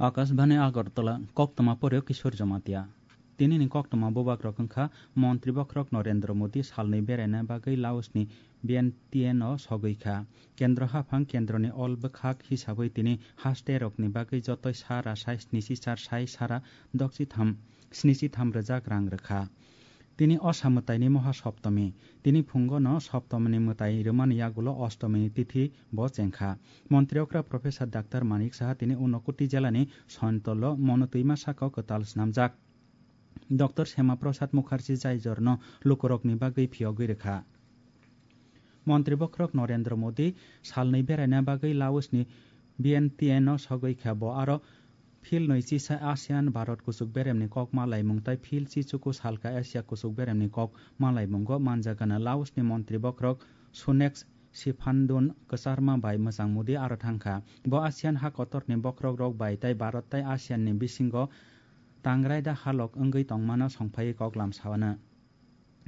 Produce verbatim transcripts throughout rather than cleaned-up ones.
Akashbani Agartala, koktwma poryo Kishore Jamatia. Tinini koktwma bubagrok wngkha Montri Bokhorok Narendra Modi salnwi beraina bagwi Laosni Vientiane o sogwi kha. Kendro haphang kendroni ol bwkhak hisabwi tini haste rokni bagwi jotoi sara sai snichi char sai sara doksi tham snichi tham rwjak rang rwkha. Tini o samwtaini moha Saptami. Tini phungo no Saptamini mwtai rwmani yagulo Astamini tithi bo chengkha. Montri okra Professor Doctor Manik Saha tini Unakoti jelani Sontolo Monotwima saka o kwtal snamjak. Doctor Shyama Prasad Mukherjee jaijorno lukurokni bagwi phiyogwi rwkha. Montri Bokhorok Narendra Modi salnwi beraina bagwi Laosni Vientiane o sogwi kha. Bo aro phil nwi chisa ASEAN Bharat kuchuk beremni kok malaimung tai phil chichuku salka Asia kuchuk beremni kok malaimungo manjagana. Laosni Montri Bokhorok Sunex Siphandun kwcharma bai mwchang Modi aro thangkha. Bo ASEAN ha kotorni bokhorokrok bai tai Bharat tai ASEAN ni bisingo tangrai da halok wngwi tongmano songphaiwi koklam sawana.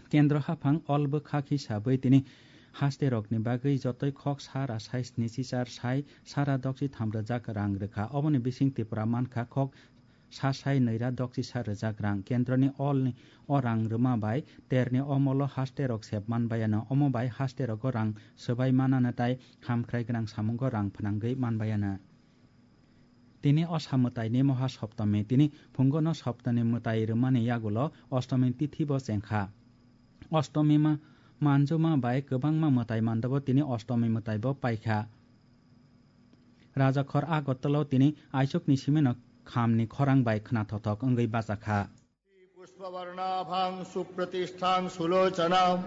Kendro haphang ol bwkhak hisabwi tini haste rokni bagwi jotoi khok sara sai snichi char sai sara doksi tham rwjak rang rwkha. Oboni bising Tripura mankha khok sa sai nwi ra doksi sa rwjak rang. Kendroni olni o rang rwma bai terni omolo haste rok sep manbayano. Omo bai haste rogo rang swbai manana tai hamkhrai gwnang samungo rang phnangwi manbayana. Tini o sa mwtaini moha Saptami, tini phungo no Saptani mwtai rwmani yagulo Ostami tithi bo chengkha. Ostami ma manjuma bai kwbangma mwtai mandabo tini Ostami mwtai bo paikha. Rajakhor Agartala o tini aichukni simino khamni khorang bai khwnathokthok wngwi bachakha. पुष्पवर्णाभां सुप्रतिष्ठां सुलोचनां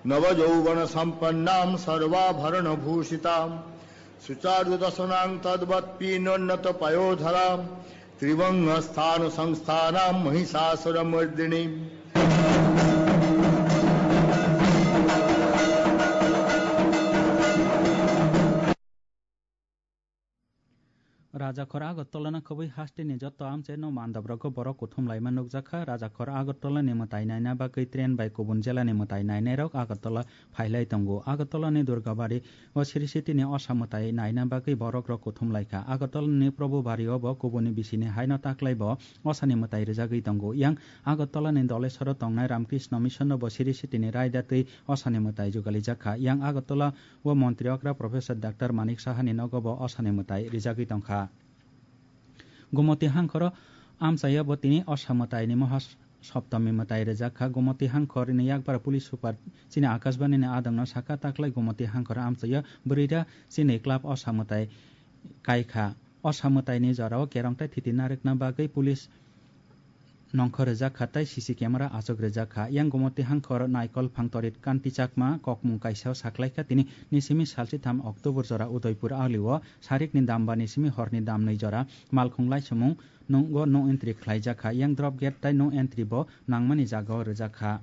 नवयौवनसम्पन्नां सर्वाभरणभूषिताम्। सुचारुदशनां तद्वत्पीनोन्नतपयोधरां त्रिभङ्गस्थानसंस्थानां महिषासुरमर्दिनीम्। Rajakhor Agartala no khobwi haste ni joto amchaino mandop rogo borok kuthum laima nukjakha. Rajakhor Agartala ni mwtai naina bagwi train bai kubun jela ni mwtai nainai rok Agartala phailai tongo. Agartala ni Durgabari o Sri City ni osa mwtai naina bagwi borok rok kuthum laikha. Agartala ni Probhubari o bo kubuni bisini haino taklai bo osa ni mwtai rwjagwi tongo. Yang Agartala ni Dolesoro tongnai Ramkrishna Mission no bo Sri City ni raida twi osa ni mwtai jugalijak kha. Yang Agartala o montri okra Professor Doctor Manik Saha ni nogo bo osa ni mwtai rijagwi tongkha. Gumoti hangkhoro amchaio bo tini osa mwtai ni moha Saptami mwtai rijak kha. Gumoti hangkhor ni yakbar police super chini Akashbani ni adang no sakha, taklai Gumoti hangkhor amchaio bwrwi da chini club osa mwtai kai kha. Osa mwtai ni jora o kerong tai thiti narwkna bagwi police nongkhor rijak kha tei C C camera achuk rijak kha. Yang Gumoti hangkhor Naikol Phangtorit Kanti Chakma kokmung kaisa o saklaikha, tini nisimi salchitham October jora Udaipur alio sarikni dam ba nisimi horni dam nwi jora malkhung laisumung nungo no entry khlaijak kha. Yang drop gate tai no entry bo nangmani jaga o rijak kha.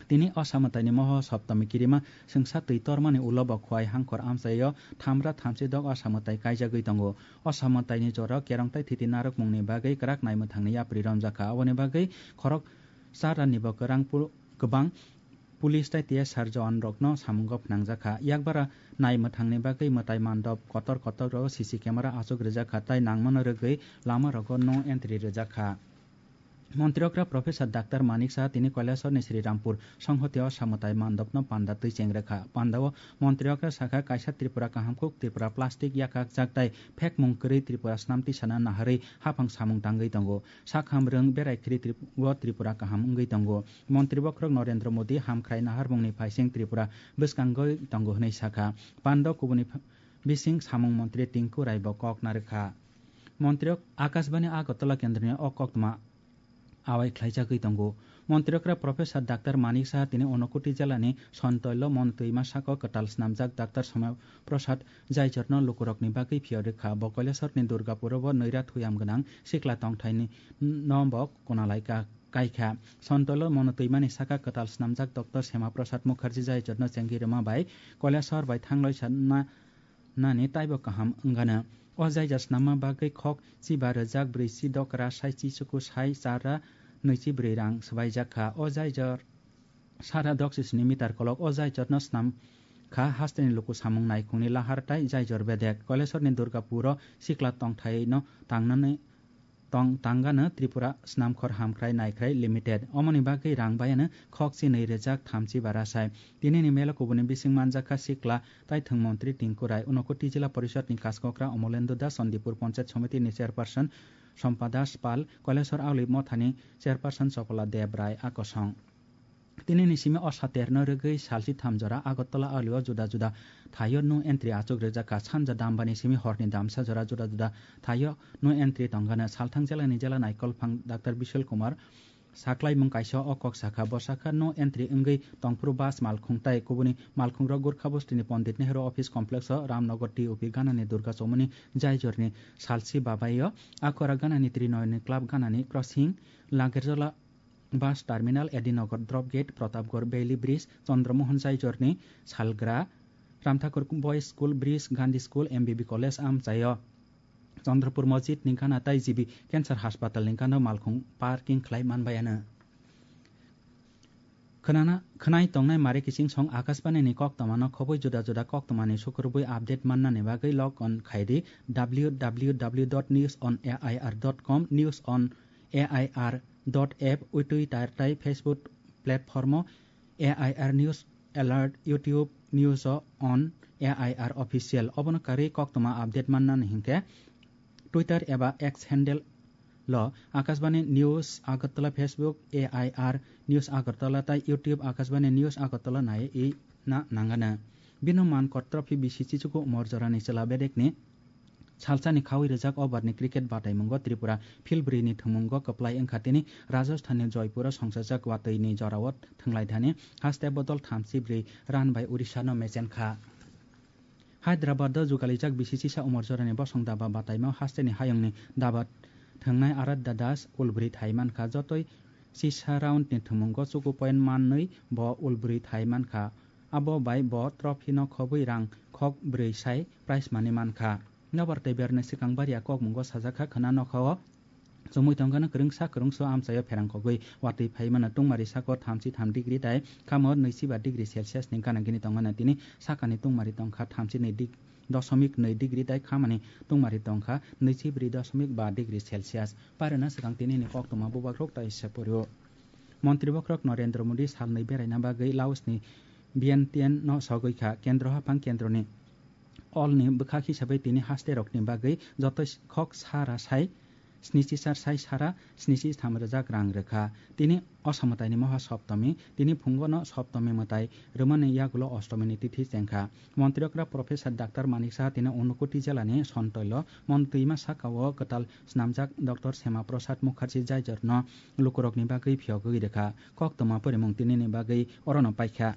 Tini osa mwtaini moho Saptami kirima swngsa twi tormani ulo bo Khowai hangkhor amchaio thamra thamchi dok osa mwtai kaijagwi tongo. Osa mwtaini jora kerong tai thiti narwkmungni bagwi kwrak naimwthangni yapri romjak kha. Aboni bagwi khorok char ranni bo kwrang pu-, kwbang police tai T S R jawan rokno samungo phnangjak kha. Yakbara naimwthangni bagwi mwtai mandop kotor kotor rogo C C camera achuk rijak kha tai nangmano rwgwi lama rogo no entry rijak kha. Montri okra Professor Doctor Manik Saha tini Kailasor ni Sri Rampur Songhoti o samwtai mandopno panda twi chengrekha. Panda o montri okra sakha, kaisa Tripura kahamkuk, Tripura plastic yakak jak tai phekmung kwrwi Tripura snamti sana naharwi haphang samung tangwi tongo. Sakham rwng berai khri Trip-, o Tripura kaham wngwi tongo. Montri bokhorok Narendra Modi hamkhrai naharmungni phaising Tripura bwskangwi tongo hwnwi sakha. Panda kubuni ph-, bising samung montri Tinku Rai bo kok narwkha. Montri ok Akashbani Agartala kendroni o koktwma awai khlaijagwi tongo. Montri okra Professor Doctor Manik Saha tini Unakoti jelani Sontoilo Monotwima saka o kwtal snamjak Doctor Somay Prasad Jaichorno lukurokni bagwi phiyok rwkha. Bo Kailasor ni Durgapur o bo nwi ra thuyam gwnang sikla tongthai ni no bo kunalai ka-, kaikha. Sontoilo Monotwima ni saka kwtal snamjak Doctor Shyama Prasad Mukherjee Jaichorno chengwi rwma bai Kailasor bai thangloi sa na nani taibo kaham wngano. O jaija snamma bagwi khok chiba rwjak brwi chi dokra sai chi chuku sai chara nwichi brwi rang swbaijak kha. O jaijor sara doksi sni meter kolok. O jaijorno snam kha hasteni luku samung naikhungni lahar tai jaijor bedek. Kailasorni Durgapuro sikla tongthaino tangnani tong tangano Tripura Snamkhor Hamkrai Naikhrai Limited. Omoni bagwi rang bayano khokchi nwi rwjak thamchi bara sai. Tinini melo kubuni bising manjakha sikla taithwng montri Tinku Rai, Unakoti Jila Porishod ni Kaskokra Omolendra Das, Sandipur Panchayat Samiti ni Chairperson Sompa Das Pal, Kailashwar Auli Mothani Chairperson Chopola Deb Rai a kosong. Tinini simi o saterno rwgwi salsi tham jora Agartala alio juda juda thaio no entry achuk rwjakha. Sanja dambani simi horni damsa jora juda juda thaio no entry tongano. Salthang jelani jela naikolphang Doctor Bishal Kumar saklaimung kaisa o kok sakha. Bo sakha no entry wngwi tongphuru bus malkhung tai kubuni malkhungrok Gurkha Bostini Pandit Nehru Office Complex o Ramnagar T O P ganani Durga Chomoni jaijorni salsi babaio Akhora ganani Trinoyoni Club ganani crossing Lagerjola Bus Terminal, Edinagar Drop Gate, Pratapgarh Valley Bridge, Chandra Mohan Jaijorni Salgra, Ramthakur Boys School Bridge, Gandhi School, M B B College amchaio, Chandrapur Masjid ni gana tai G B Cancer Hospital ni gana malkhung parking khlai manbayano. Khwnana, khwnai tongnai mare kiching song Akashbani ni koktoma no khobwi juda juda koktoma ni sukurubwi update mannani bagwi log on khaidi W W W dot news on A I R dot com, news on A I R dot app, Twitter tai Facebook platform o A I R News Alert, YouTube News on A I R Official. Obono karwi koktoma update mannani hinkhe Twitter eba X handle lo Akashbani News Agartala, Facebook A I R News Agartala tai YouTube Akashbani News Agartala nai i na nangana. Bino man kor trophy bisi chichugo umor jorani chwla bedekni Salsani khaui rijak overni cricket bataimungo Tripura field brwi ni thwngmungo kwplai wngkha tini Rajasthanni Joypuro songchajak watwi ni jorao thwnglaithani haste bodol thamchi brwi run bai Odisha no mechenkha. Hyderabad o jugalijak bisi chisa umor jorani bosong daba bataimo hasteni hayungni daba thwngnai Aradhya Das ulbrwi thai mankha, jotoi chisa round ni thwngmungo chuku point mannwi bo ulbrwi thai mankha. Abo bai bo trophy no khobwi rang khok brwi sai prize money mankha. Nobar tei berni swkang baria kokmungo sajakha khwna nokhao chumui tongkhano kwrwngsa kwrwngso amchaio pherang kogwi watwi phaimano tungmari sako thamchi tham degree tai khamo nwichi ba degree Celsius ni gana gini tongmano tini sakani tungmari tongkha thamchi nwi dosomik nwi degree tai khamani tungmari tongkha nwichi brwi dosomik ba degree Celsius. Parwna swkang tinini koktwma bubagrok tai se poryo. Montri bokhorok Narendra Modi salnwi beraina bagwi Laosni Vientiane-no sogwi kha. Kendro haphang kendroni olni bwkhak hisabai tini hasterokni bagwi joto khok sara sai snichi sar sai sara snichi tham rwjak rang rwkha. Tini Osamwtaini Moha Saptami, tini phungono Saptami mwtai rwmani yagulo Ostomini tithi chengkha. Montri okra Professor Doctor Manik Saha tini Unakoti jelani Sontoilo montwima sakao kwtal snamjak Doctor Shyama Prasad Mukherjee Jaijorno lukurokni bagwi phiyogwi rwkha. Koktwma porimung tinini bagwi orono paikha.